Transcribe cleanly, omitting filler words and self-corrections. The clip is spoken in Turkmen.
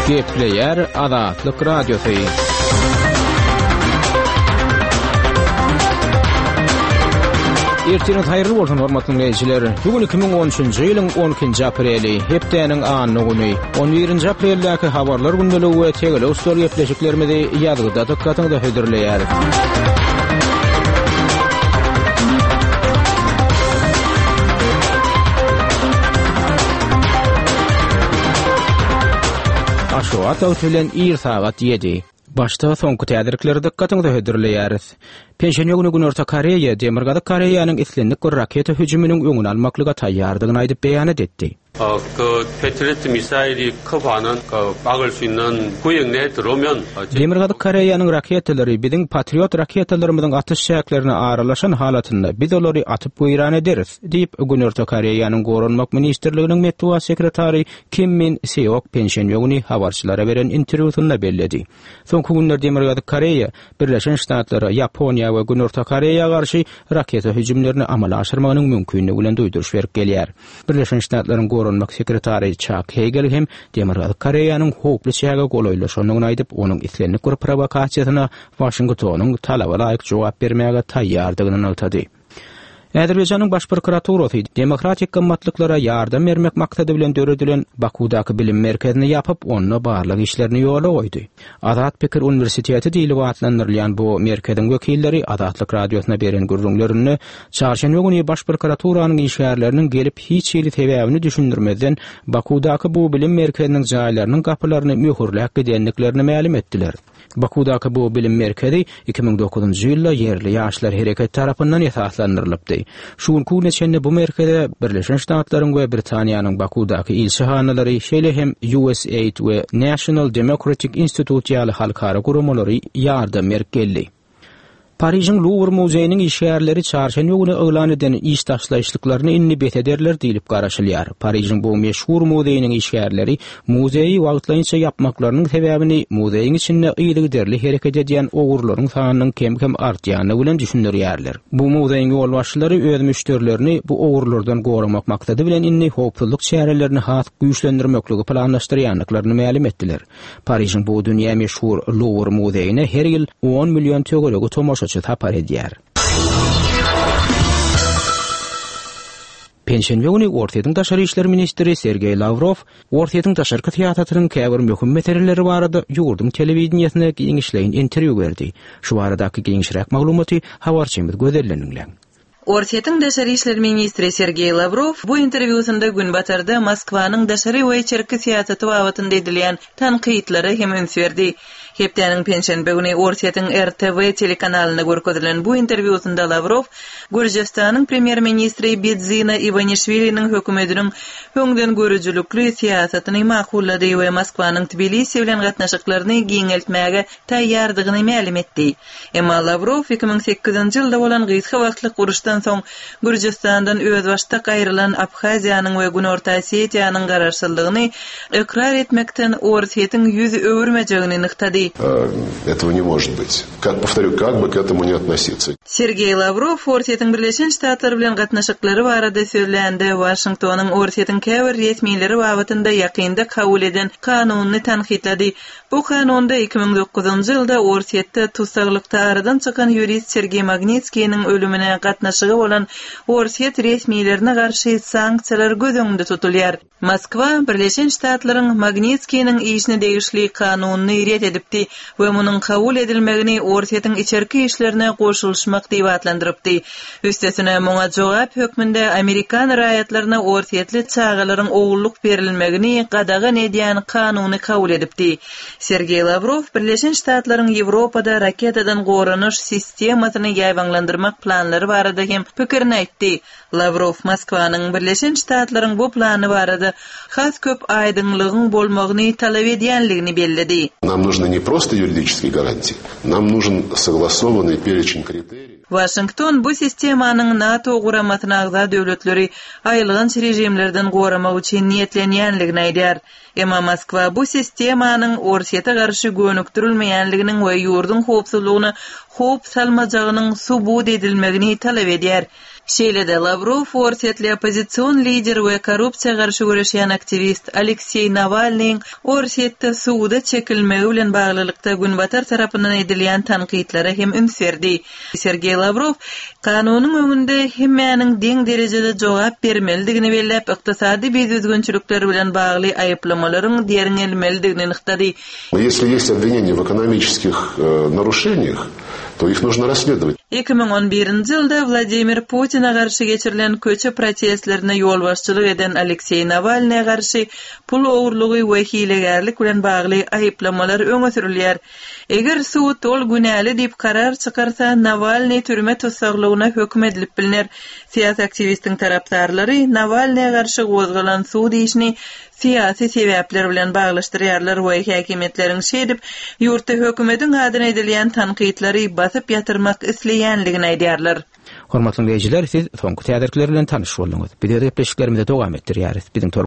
Gepleýär Azatlyk Radiosy. Ertiriňiz haýyrly bolsun, hormatly diňleýjiler. Bu gün 2013-nji ýylyň 12-nji apreli, hepdäniň anna güni. 11-nji apreldäki habarlar gündeligi we tegelek stol gepleşiklerimizi ýazgyda dykgatyňyza hödürleýäris. Aşgabat wagty bilen ir sagat ýedi. Başda soňky täzelikleri dykgatyňyza hödürleýäris. Penşenbe güni Günorta Koreýa Demirgazyk Koreýanyň islendik bir raketa hüjüminiň öňüni almaklyga taýýardygyny aýdyp beýanat etdi. Demirgazyk Koreýanyň raketalary biziň Patriot raketalarymyzyň atyş çäklerine aralaşan halatynda biz olary atyp weýran ederis, diýip, Günorta Koreýanyň Goranmak ministrliginiň metbugat sekretary Kim Min Seok penşenbe güni habarçylara beren interwýusynda belledi. Soňky günler Demirgazyk Koreýa Birleşen Ştatlara, Ýaponiýa we Günorta Koreýa garşy raketa hüjümlerini amala aşyrmagynyň mümkinligi bilen duýduryş berip gelýär. Birleşen Ştatlaryň Goranmak sekretary Çak Heýgel hem Demirgazyk Koreýanyň howply çäge golaýlaşandygyny aýdyp, onuň islendik bir prowokasiýasyna Waşingtonyň talaba laýyk jogap bermäge taýýardygyny nygtady. Azerbaýjanyň Baş prokuraturasy demokratik gymmatlyklara ýardam bermek maksady bilen döredilen Bakuwdaky bilim merkezini ýapyp, onda barlag işlerini ýola goýdy. Azat pikir uniwersiteti diýlip atlandyrylýan bu merkeziň wekilleri Azatlyk Radiosyna beren gürrüňlerinde çarşenbe güni Baş prokuraturanyň işgärleriniň gelip hiç hili sebäbini düşündirmezden Bakuwdaky bu bilim merkeziniň jaýlarynyň gapylaryny möhürläp gidendiklerini mälim etdiler. Bakuwdaky bu bilim merkezi 2009-njy ýylda ýerli ýaşlar hereketi tarapyndan esaslandyrylypdy. Şu günki güne çenli bu merkeze Birleşen Ştatlaryň we Britaniýanyň Bakuwdaky ilçihanalary, şeýle hem USAID we National Democratic Institute ýaly halkara guramalary ýardam berip geldi. Parižiň Luwr muzeýiniň işgärleri çarşenbe güni yglan eden iş taşlaýyşlyklaryny indi bes ederler diýlip garaşylýar. Parižiň bu meşhur muzeýiniň işgärleri muzeýi wagtlaýynça ýapmaklarynyň sebäbini muzeýiň içinde yzygiderli hereket edýän ogurlaryň sanynyň kem-kem artýandygy bilen düşündirýärler. Bu muzeýiň ýolbaşçylary öz müşderilerini bu ogurlardan goramak maksady bilen indi howpsuzlyk çärelerini has güýçlendirmekligi planlaşdyrýandyklaryny mälim etdiler. Parižiň bu dünýä meşhur Luwr muzeýine her ýyl on million töweregi tomaşaçy sapar edýär. Penşenbe güni Orsýetiň daşary işler ministri Sergeý Lawrow Orsýetiň daşarky syýasatynyň käbir möhüm meseleleri barada ýurduň telewideniýesine giňişleýin interwýu berdi. Şu baradaky giňişräk maglumaty habarçymyz Gözelden diňläň. Orsýetiň daşary işler ministri Sergeý Lawrow bu interwýusynda Günbatarda Moskwanyň daşary we içerki syýasaty babatynda edilýän tankytlara hem üns berdi. Hepdäniň penşenbe güni Orsýetiň RTV telekanalynda görkezilen bu interwýusynda Lawrow Gürjüstanyň premýer-ministri Bidzina Iwanişwiliniň hökümetiniň öňdengörüjilikli syýasatyny makullady we Moskwanyň Tbilisi bilen gatnaşyklaryny giňeltmäge taýýardygyny mälim etdi. Emma Lawrow 2008-nji ýylda bolan gysga wagtlyk uruşdan soň Gürjüstandan özbaşdak aýrylan Abhaziýanyň we Günorta Osetiýanyň garaşsyzlygyny ykrar etmekden Orsýetiň ýüz öwürmejegini nygtady. Этого не может быть. Как, повторю, как бы к этому ни относиться. Sergeý Lawrow Orsýetiň Birleşen Ştatlar bilen gatnaşyklary barada sözlände, Waşingtonyň Orsýetiň käbir resmileri babatynda ýakynda kabul eden kanunyny tankytlady. Bu kanunda 2009-njy ýylda Orsýetde tussaglykda aradan çykan ýurist Sergeý Magnitskiniň ölümine gatnaşygy bolan orsýet resmilerine garşy sanksiýalar göz öňünde tutulýar. Moskwa Birleşen Ştatlaryň Magnitskiniň işine degişli kanunyny ret edipdi we munuň kabul edilmegini Orsýetiň içerki işlerine goşulyşmak diýip atlandyrypdy. Üstesine, muňa jogap hökmünde amerikan raýatlaryna orsýetli çagalaryň ogullyk berilmegini gadagan edýän kanuny kabul edipdi. Sergeý Lawrow Birleşen Ştatlaryň Ýewropada raketadan goranyş sistemasyny ýaýbaňlandyrmak planlary barada hem pikirini aýtdy. Lawrow Moskwanyň Birleşen Ştatlaryň bu plany barada has köp aýdyňlygyň bolmagyny talap edýänligini belledi. Nam нужны не просто юридические гарантии, нам нужен согласованный перечень критериев. Waşington bu sistemanyň NATO guramasyna agza döwletleri aýylganç režimlerden goramak üçin niýetlenýänligini aýdýar. Emma Moskwa bu sistemanyň Orsýete garşy gönükdirilmeýänliginiň we ýurduň howpsuzlygyna howp salmajagynyň subut edilmegini talap edýär. Şeýle-de, Lawrow orsýetli oppozision lider we korrupsiýa garşy göreşýän aktiwist Alekseý Nawalnyň Orsýetde suda çekilmegi bilen baglylykda Günbatar tarapyndan edilýän tankytlara hem üns berdi. Sergeý Lawrow kanunyň öňünde hemmäniň deň derejede jogap bermelidigini belläp, ykdysady bidüzgünçilikler bilen bagly aýyplamalaryň derňelmelidigini nygtady. Если есть обвинения в экономических нарушениях, то их нужно расследовать. 2011-nji ýylda Wladimir Putine garşy geçirilen köçe protestlerine ýolbaşçylyk eden Alekseý Nawalnyýa garşy pul ogurlygy we hilegärlik bilen bagly aýyplamalar öňe sürülýär. Eger sud ol günäli diýip karar çykarsa, Nawalnyý türme tussaglygyna höküm edilip bilner. Syýasy aktiwistiň tarapdarlary Nawalnyýa garşy gozgalan sud işini syýasy sebäpler bilen baglaşdyrýarlar we häkimiýetleriň şeýdip, ýurtda hökümetiň adyna edilýän tankytlary basyp ýatyrmak isleýänligini aýdýarlar. Hormatly diňleýjiler, siz soňky täzelikler bilen tanyş bolduňyz. Biz öz gepleşiklerimizi dowam etdirýäris. Biziň tor.